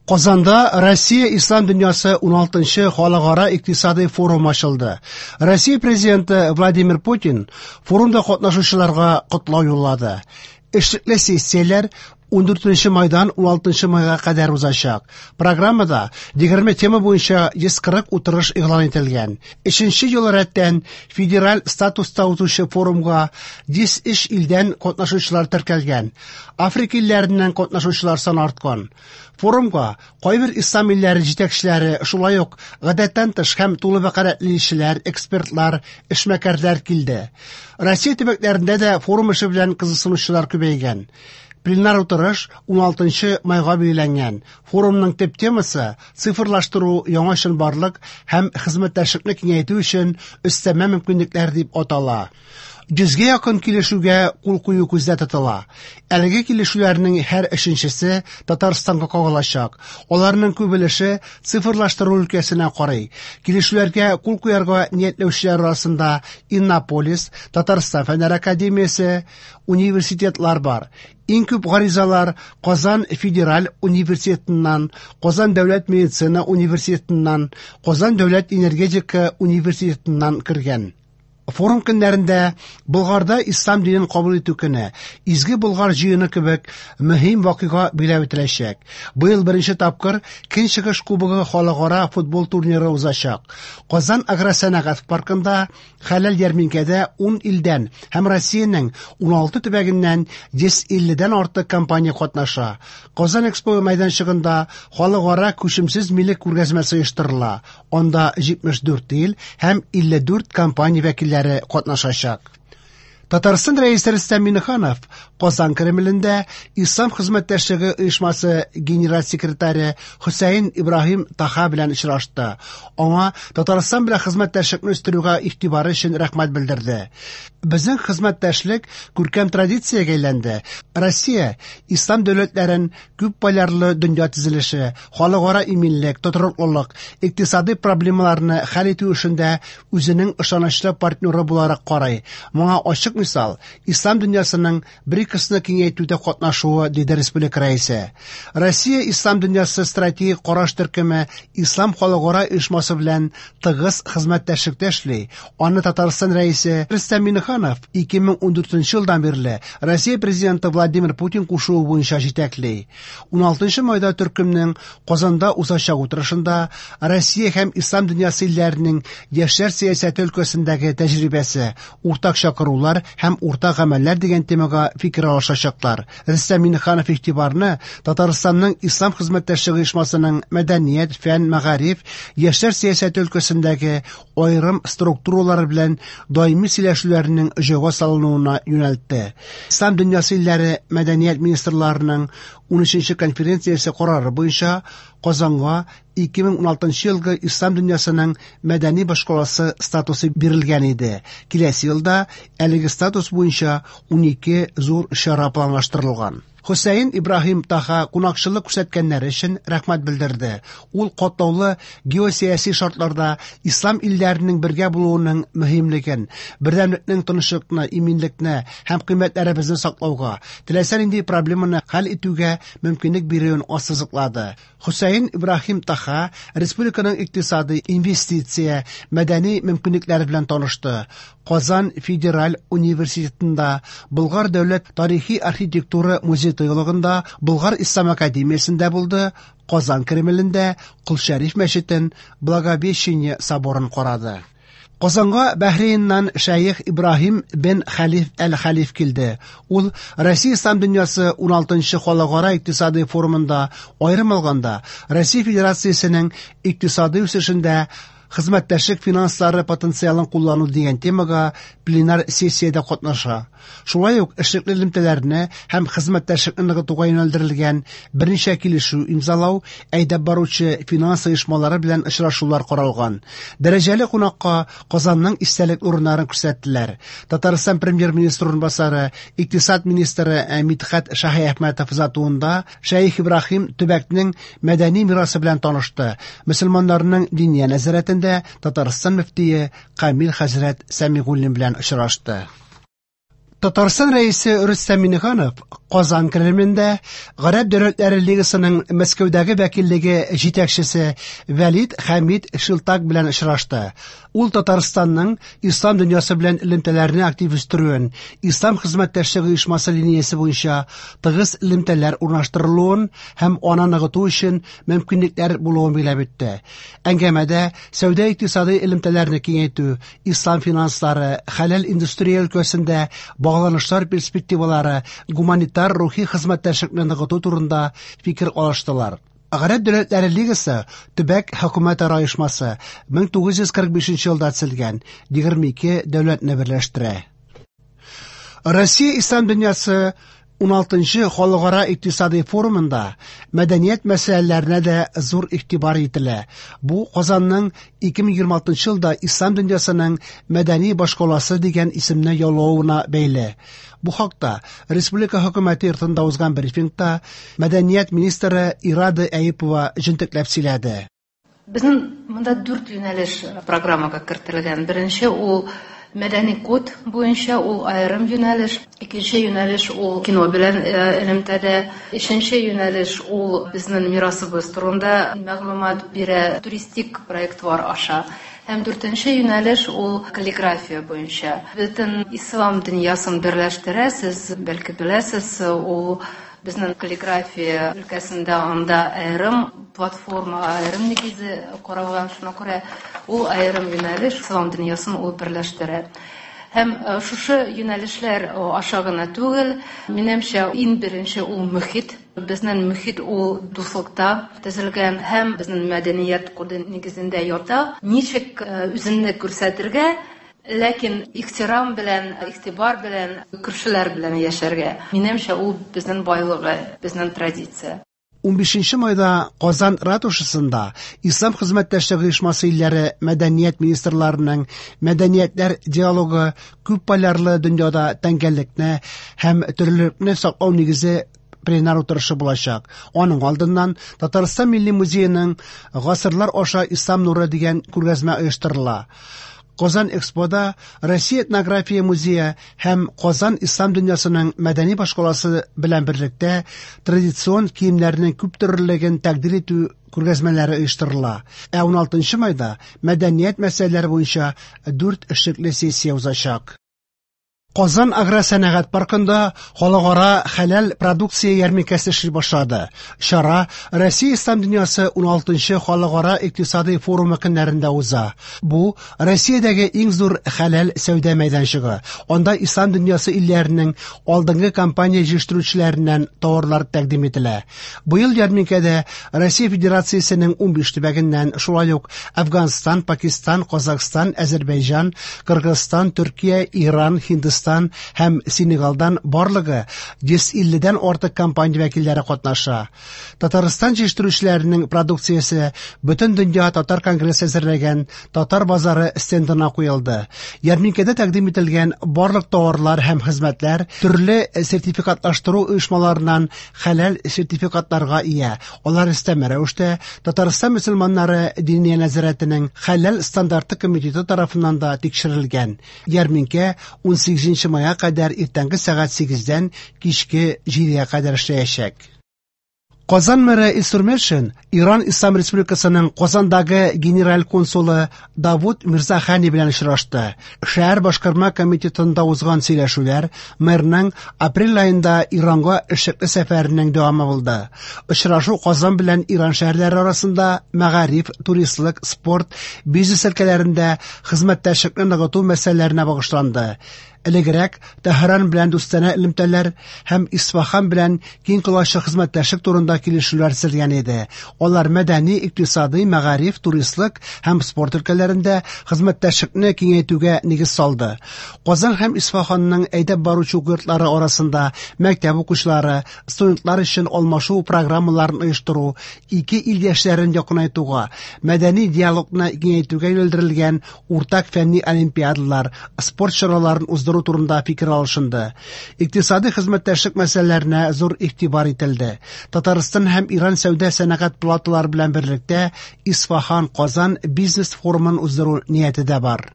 Казанда Россия Ислам дөньясы 16нчы халыкара икътисадый форум ачылды. Россия президенты Владимир Путин форумда катнашучыларга котлау юллады. Эшлекле сессияләр 14 майдан 16 майга кадәр узачак. Программада 20 тема буенча 140 утырыш игълан ителгән. Өченче ел рәттән федераль статуста узучы форумга 103 илдән катнашучылар теркәлгән. Африка илләреннән катнашучылар саны арткан. Форумга кайбер ислам илләре җитәкчеләре, шулай ук гадәттән тыш һәм тулы вәкаләтле илчеләр, экспертлар, эшмәкәрләр килде. Россия төбәкләрендә дә форум эше белән кызыксынучылар күбәйгән. Пленар утырыш 16 майга билгеләнгән. Форумның төп темасы цифрлаштыру, яңа чынбарлык һәм хезмәттәшлекне киңәйтү өчен өстәмә мөмкинлекләр дип атала. 100гә якын килешүгә кул кую күздә тотыла. Әлеге килешүләрнең һәр өченчесе Татарстанга кагылачак. Аларның күп өлеше цифрлаштыру өлкәсенә карый. Килешүләргә кул куярга ниятләүчеләр арасында Иннополис, Татарстан Фәннәр академиясе, университетлар бар. Иң күп гаризалар Казан федераль университетыннан, Казан дәүләт медицина университетыннан, Казан дәүләт энергетика университетыннан кергән. Форум көннәрендә Болгарда ислам динен кабул итү көне, Изге Болгар җыены кебек мөһим вакыйга билгеләп үтеләчәк. Быел беренче тапкыр Көнчыгыш кубогы халыкара футбол турниры узачак. Казан агросәнәгать паркында хәләл ярминкәдә 10 илдән һәм Россиянең 16 төбәгеннән 150дән артык компания катнаша. Казан Экспо мәйданчыгында халыкара күчемсез милек күргәзмәсе оештырыла. Анда 74 ил һәм 54 компания вәкилләре катнашачак. Татарстан Рәисе Рөстәм Миңнеханов Казан Кремлендә Ислам хезмәттәшлеге оешмасы генераль секретаре Хөсәен Ибраһим Таха белән очрашты. Аңа Татарстан белән хезмәттәшлекне үстерүгә игътибары өчен рәхмәт белдерде. Безнең хезмәттәшлек күркәм традициягә әйләнде. Россия ислам дәүләтләрен күп полярлы дөнья төзелеше, халыкара иминлек, тотрыклылык, икътисадый проблемаларны хәл итү эшендә үзенең ышанычлы партнеры буларак карый. Моңа ачык мисал ислам дөньясының БРИКСны киңәйтүдә катнашуы, диде республика рәисе. Россия ислам дөньясы стратегик караш төркеме Ислам халыкара оешмасы белән тыгыз хезмәттәшлектә эшли. Аны Татарстан рәисе Рөстәм Миңнеханов 2014 елдан бирле Россия президенты Владимир Путин кушуы буенча җитәкли. 16 майда төркемнең Казанда узачак утырышында Россия һәм ислам дөньясы илләренең яшьләр сәясәте өлкәсендәге тәҗрибәсе, уртак чакырулар һәм уртак гамәлләр дигән темага фикер алышачаклар. Рөстәм Миңнеханов игътибарны Татарстанның Ислам хезмәттәшлеге оешмасының мәдәният, фән, мәгариф, яшьләр сәясәте өлкәсендәге аерым структуралары белән даими сөйләшүләренең җайга салынуына юнәлтте. Ислам дөньясы илләре мәдәният министрларының 13нче конференциясе карары буенча Казанга 2016 елгы Ислам дөньясының мәдәни башкаласы статусы бирелгән иде. Киләсе елда әлеге статус буенча 12 зур чара планлаштырылган. Хөсәен Ибраһим Таха кунакчыллык күрсәткәннәре өчен рәхмәт белдерде. Ул катлаулы геосәяси шартларда ислам илләренең бергә булуының мөһимлеген, бердәмлекнең тынычлыкны, иминлекне һәм кыйммәтләребезне саклауга, теләсә нинди проблеманы хәл итүгә мөмкинлек бирүен ассызыклады. Хөсәен Ибраһим Таха республиканың икътисадый, инвестиция, мәдәни мөмкинлекләре белән танышты. Казан федераль университетында, Болгар дәүләт тарихи архитектура музей-тыюлыгында, Болгар ислам академиясендә булды, Казан Кремлендә Кол Шәриф мәчетен, Благовещение соборын карады. Казанга Бәһрейннан шәех Ибраһим бен Хәлиф әл-Хәлиф килде. Ул Россия ислам дөньясы 16нчы халыкара икътисадый форумында, аерым алганда, Россия Федерациясенең икътисадый үсешендә хезмәттәшлек финанслары потенциалын куллану дигән темага пленар сессиядә катнаша. Шулай ук эшлекле элемтәләрне һәм хезмәттәшлекне ныгытуга юнәлдерелгән берничә килешү имзалау, әйдәп баручы финанс оешмалары белән очрашулар каралган. Дәрәҗәле кунакка Казанның истәлек урыннарын күрсәттеләр. Татарстан премьер-министры урынбасары, икътисад министры Мидхәт Шаһиәхмәтов озатуында Шәех Ибраһим төбәкнең мәдәни мирасы белән танышты. Мөселманнарның диния нәзарәтендә Татарстан мөфтие Камил хәзрәт Сәмигуллин белән очрашты. Татарстан Рәисе Рөстәм Миңнеханов Казан Кремлендә Гарәп дәүләтләре лигасының Мәскәүдәге вәкиллеге җитәкчесе Вәлид Хәмид Шилтак белән очрашты. Ул Татарстанның ислам дөньясы белән элемтәләрне актив үстерүен, Ислам хезмәттәшлеге оешмасы линиясе буенча тыгыз элемтәләр урнаштырылуын һәм аны ныгыту өчен мөмкинлекләр булуын билгеләп үтте. Әңгәмәдә сәүдә-икътисадый элемтәләрне киңәйтү, ислам финанслары, хәләл индустрия өлкәсендә багланышлар перспективалары, гуманитар рухи хезмәттәшлекне ныгыту турында фикер алыштылар. Гарәп дәүләтләре лигасы төбәк хөкүмәтара оешмасы 1945 елда төзелгән, 22 дәүләтне берләштерә. Россия ислам дөньясы 16нчы халыкара икътисадый форумында мәдәният мәсьәләләренә дә зур игътибар ителә. Бу Казанның 2026 елда ислам дөньясының мәдәни башкаласы дигән исемне яулавына бәйле. Бу хакта республика хөкүмәте йортында узган брифингта мәдәният министры Ирада Әюпова җентекләп сөйләде. Безнең монда дүрт юнәлеш программага кертелгән. Беренче ул мәдәни код буенча, ул аерым юнәлеш. Икенче юнәлеш ул кино белән элемтәдә. Өченче юнәлеш ул безнең мирасыбыз турында мәгълүмат бирә туристик проектлар аша. Һәм дүртенче юнәлеш ул каллиграфия буенча. Бөтен ислам дөньясын берләштерә, сез бәлки беләсез, ул безнең каллиграфия өлкәсендә анда аерым платформа, аерым нигезе каралган, шуңа күрә ул аерым юнәлеш, ислам дөньясын ул берләштерә. Һәм шушы юнәлешләр аша гына түгел, минемчә, иң беренче ул мөхит. Безнең мөхит ул дуслыкта төзелгән һәм безнең мәдәният коды нигезендә ята. Ничек үзеңне күрсәтергә, ләкин ихтирам белән, игътибар белән, күршеләр белән яшәргә. Минемчә, ул безнең байлыгы, безнең традиция. 15 майда Казан ратушасында Ислам хезмәттәшлеге оешмасы илләре мәдәният министрларының мәдәниятләр диалогы күп полярлы дөньяда тәңгәллекне һәм төрлелекне саклау нигезе пленар утырышы булачак. Аның алдыннан Татарстан Милли музееның Гасырлар аша Ислам нуры дигән күргәзмә оештырыла. Казан Экспода Россия этнография музее һәм Казан ислам дөньясының мәдәни башкаласы белән берлектә традицион киемнәрнең күп төрлелеген тәкъдир итү күргәзмәләре оештырыла. Ә 16 майда мәдәният мәсьәләләре буенча 4 эшлекле сессия узачак. Казан агросәнәгать паркында халыкара хәләл продукция ярминкәсе эшли башлады. Чара Россия ислам дөньясы 16нчы халыкара икътисадый форумы көннәрендә уза. Бу Россиядәге иң зур хәләл сәүдә мәйданчыгы. Анда ислам дөньясы илләренең алдынгы компания җитештерүчеләреннән товарлар тәкъдим ителә. Быел ярминкәдә Россия Федерациясенең 15 төбәгеннән, шулай ук Әфганстан, Пакистан, Казахстан, Әзербайҗан, Кыргызстан, Төркия, Иран, Һиндстан һәм Сенегалдан барлыгы 150-дән артык компания вәкилләре катнаша. Татарстан җитештерүчеләренең продукциясе Бөтен дөнья татар конгрессы әзерләгән Татар базары стендына куелды. Ярминкәдә тәкъдим ителгән барлык товарлар һәм хезмәтләр төрле сертификатлаштыру оешмаларыннан хәләл сертификатларга ия. Алар өстәмә рәвештә Татарстан мөселманнары Диния нәзарәтенең хәләл стандарты комитеты тарафыннан да тикшерелгән. Ярминкә 18 майга кадәр иртәнге сәгать 8-дән кичке 7-гә кадәр эшләячәк. Казан мэры Илсур Метшин Иран Ислам Республикасының Казандагы генераль консулы Давуд Мирзахани белән очрашты. Шәһәр башкарма комитетында узган сөйләшүләр мэрның апрель аенда Иранга эшлекле сәфәренең дәвамы булды. Очрашу Казан белән Иран шәһәрләре арасында мәгариф, туристлык, спорт, бизнес өлкәләрендә хезмәттәшлекне ныгыту мәсьәләләренә багышланды. Элегрәк Тәһран белән дустанә элемтәләр һәм Исфахан белән киң колачлы хезмәттәшлек турында килешүләр төзелгән иде. Алар мәдәни, икътисадый, мәгариф, туристлык һәм спорт өлкәләрендә хезмәттәшлекне киңәйтүгә нигез салды. Казан һәм Исфаханның әйдәп баручы уку йортлары арасында мәктәп укучылары, студентлар өчен алмашу программаларын оештыру, ике ил яшьләрен якынайтуга, мәдәни диалогны киңәйтүгә юнәлдерелгән уртак фәнни олимпиадалар, спорт чараларын уздыру турында фикер алышынды. Икътисадый хезмәттәшлек мәсьәләләренә зур игътибар ителде. Татарстан һәм Иран сәүдә сәнәгать палаталары белән берлектә Исфахан Казан бизнес форумын уздыру нияте дә бар.